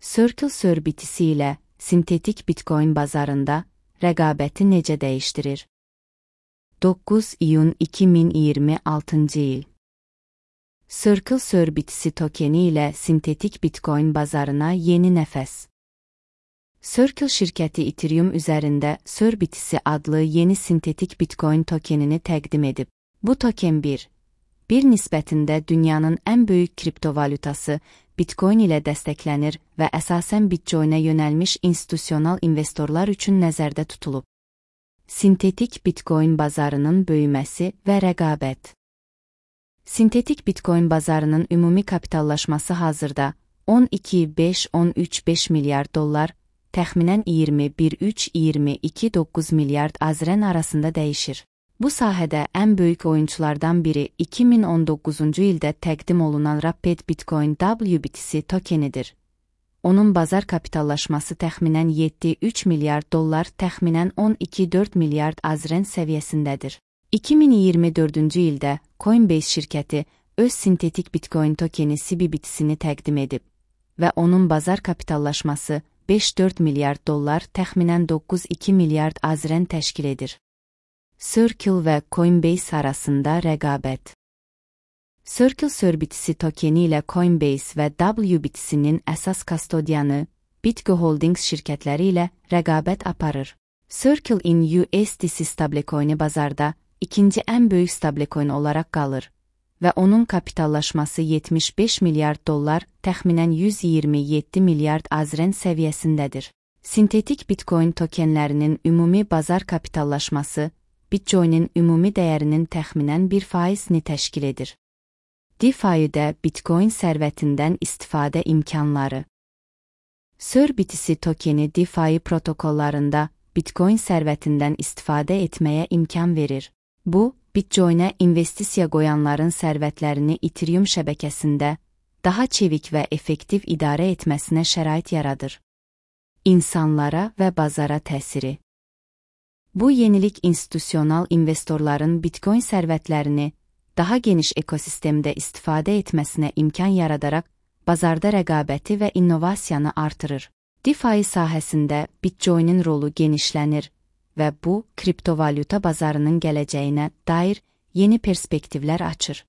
Circle Servitisi ilə sintetik Bitcoin bazarında rəqabəti necə dəyişdirir? 9 iyun 2026 il. Circle Servitisi tokeni ilə sintetik Bitcoin bazarına yeni nəfəs. Circle şirkəti Ethereum üzərində Servitisi adlı yeni sintetik Bitcoin tokenini təqdim edib. Bu token bir nisbətində dünyanın ən böyük kriptovalutası Bitcoin ilə dəstəklənir və əsasən Bitcoinə yönəlmiş institusional investorlar üçün nəzərdə tutulub. Sintetik Bitcoin bazarının böyüməsi və rəqabət. Sintetik Bitcoin bazarının ümumi kapitallaşması hazırda 12,5-13,5 milyard dollar, təxminən 21,3-22,9 milyard AZRN arasında dəyişir. Bu sahədə ən böyük oyunculardan biri 2019-cu ildə təqdim olunan Rapid Bitcoin WBTC tokenidir. Onun bazar kapitallaşması təxminən 7,3 milyard dollar, təxminən 12,4 milyard AZRN səviyyəsindədir. 2024-cü ildə Coinbase şirkəti öz sintetik Bitcoin tokeni CBBTC-ni təqdim edib və onun bazar kapitallaşması 5,4 milyard dollar, təxminən 9,2 milyard AZRN təşkil edir. Circle və Coinbase arasında rəqabət. Circle Servitisi tokeni ilə Coinbase və WBTC-nin əsas kastodiyanı BitGo Holdings şirkətləri ilə rəqabət aparır. Circle in USDC stablecoini bazarda ikinci ən böyük stablecoin olaraq qalır və onun kapitallaşması 75 milyard dollar, təxminən 127 milyard AZRN səviyyəsindədir. Sintetik Bitcoin tokenlərinin ümumi bazar kapitallaşması Bitcoin'in ümumi dəyərinin təxminən 1%-ni təşkil edir. DeFi'də Bitcoin sərvətindən istifadə imkanları. Servitisi tokeni DeFi protokollarında Bitcoin sərvətindən istifadə etməyə imkan verir. Bu, Bitcoin'ə investisiya qoyanların sərvətlərini Ethereum şəbəkəsində daha çevik və effektiv idarə etməsinə şərait yaradır. İnsanlara və bazara təsiri. Bu yenilik institusional investorların Bitcoin sərvətlərini daha geniş ekosistemdə istifadə etməsinə imkan yaradaraq bazarda rəqabəti və innovasiyanı artırır. DeFi sahəsində Bitcoin'in rolu genişlənir və bu, kriptovalyuta bazarının gələcəyinə dair yeni perspektivlər açır.